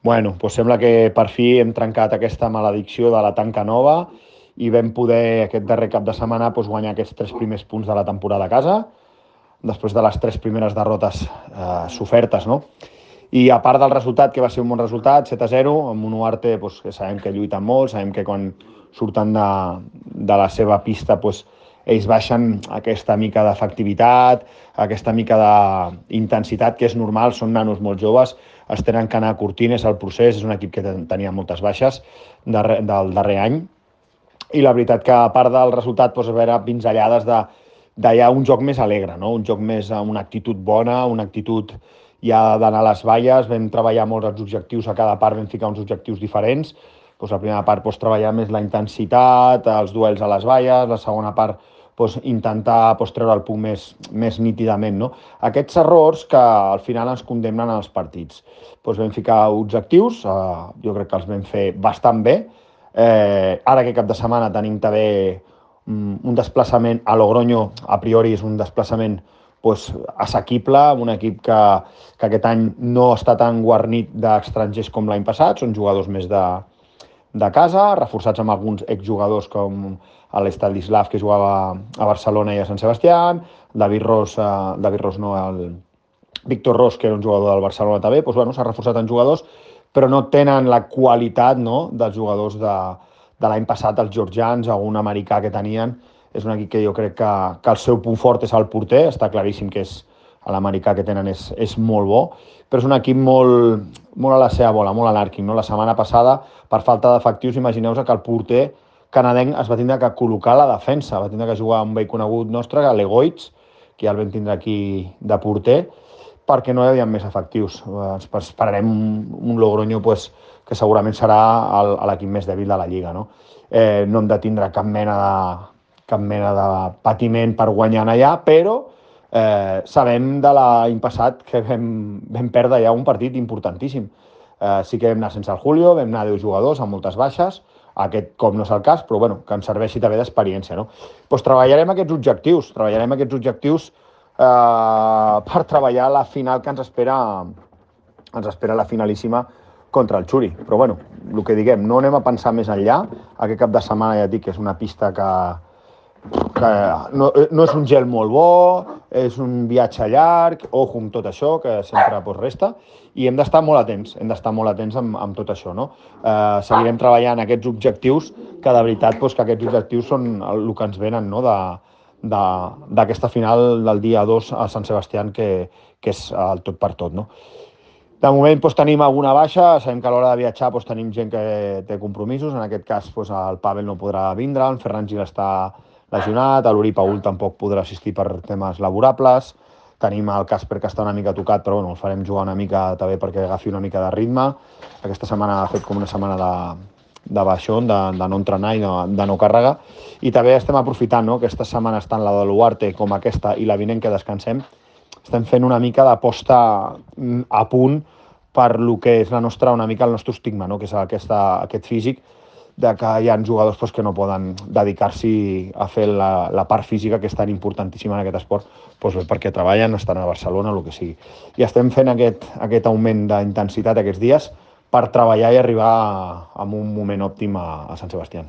Bueno, doncs sembla que per fi hem trencat aquesta maledicció de la tanca nova i vam poder aquest darrer cap de setmana guanyar aquests 3 primers punts de la temporada a casa, després de les 3 primeres derrotes sofertes, no? I a part del resultat, que va ser un bon resultat, 7-0, amb un Uarte que sabem que lluiten molt, sabem que quan surten de la seva pista ells baixen aquesta mica d'efectivitat, aquesta mica d'intensitat, que és normal, són nanos molt joves, es tenen que anar curtint, és el procés, és un equip que tenia moltes baixes del darrer any, i la veritat que a part del resultat a veure pinzellades de ja un joc més alegre, no? Un joc més amb una actitud bona, una actitud ja d'anar a les valles, vam treballar molt els objectius, a cada part vam ficar uns objectius diferents, la primera part treballar més la intensitat, els duels a les valles, la segona part intentar treure el punt més nítidament. No? Aquests errors que al final ens condemnen als partits. Vam ficar objectius, jo crec que els vam fer bastant bé. Ara aquest cap de setmana tenim també un desplaçament a Logroño, a priori és un desplaçament assequible, un equip que aquest any no està tan guarnit d'estrangers com l'any passat, són jugadors més de casa, reforçats amb alguns exjugadors com l'Estanislav, que jugava a Barcelona i a Sant Sebastià, David Ros no, el Víctor Ros, que era un jugador del Barcelona també, s'ha reforçat en jugadors, però no tenen la qualitat, no, dels jugadors de l'any passat, els georgians, algun americà que tenien. És un equip que jo crec que el seu punt fort és el porter, està claríssim que l'americà que tenen és molt bo, però és un equip molt a la seva bola, molt anàrquic. No? La setmana passada, per falta d'efectius, imagineu-vos que el porter canadenc es va tindre que col·locar a la defensa, va tindre que jugar un vell conegut nostre, l'Egoitz, que ja el vam tindre aquí de porter, perquè no hi havia més efectius. Esperarem un Logroño que segurament serà l'equip més dèbil de la Lliga. No, no hem de tindre cap mena de patiment per guanyar allà, però sabem de l'any passat que vam perdre ja un partit importantíssim. Sí que vam anar sense el Julio, vam anar 10 jugadors amb moltes baixes, aquest cop no és el cas, però que ens serveixi també d'experiència. No? Treballarem aquests objectius per treballar la final que ens espera la finalíssima contra el Xuri. Però el que diguem, no anem a pensar més enllà. Aquest cap de setmana ja et dic que és una pista que no és un gel molt bo, és un viatge llarg, ojo amb tot això, que sempre resta, i hem d'estar molt atents, amb tot això. No? Seguirem treballant aquests objectius, que de veritat que aquests objectius són el que ens venen, no? D'aquesta final del dia 2 a Sant Sebastià, que és el tot per tot. No? De moment tenim alguna baixa, sabem que a l'hora de viatjar tenim gent que té compromisos, en aquest cas el Pavel no podrà vindre, el Ferran Gil està lesionat, l'Uri Paul tampoc podrà assistir per temes laborables, tenim el Casper que està una mica tocat, però el farem jugar una mica també perquè agafi una mica de ritme. Aquesta setmana ha fet com una setmana de baixón, de no entrenar i de no càrrega, i també estem aprofitant, no? Aquesta setmana tant la de l'Uarte com aquesta i la vinent que descansem, estem fent una mica d'aposta a punt per lo que és una mica el nostre estigma, no? Que és aquest físic, de que hi ha jugadors que no poden dedicar-s'hi a fer la part física, que és tan importantíssima en aquest esport, perquè treballen, estan a Barcelona, el que sigui. I estem fent aquest augment d'intensitat aquests dies per treballar i arribar a un moment òptim a Sant Sebastià.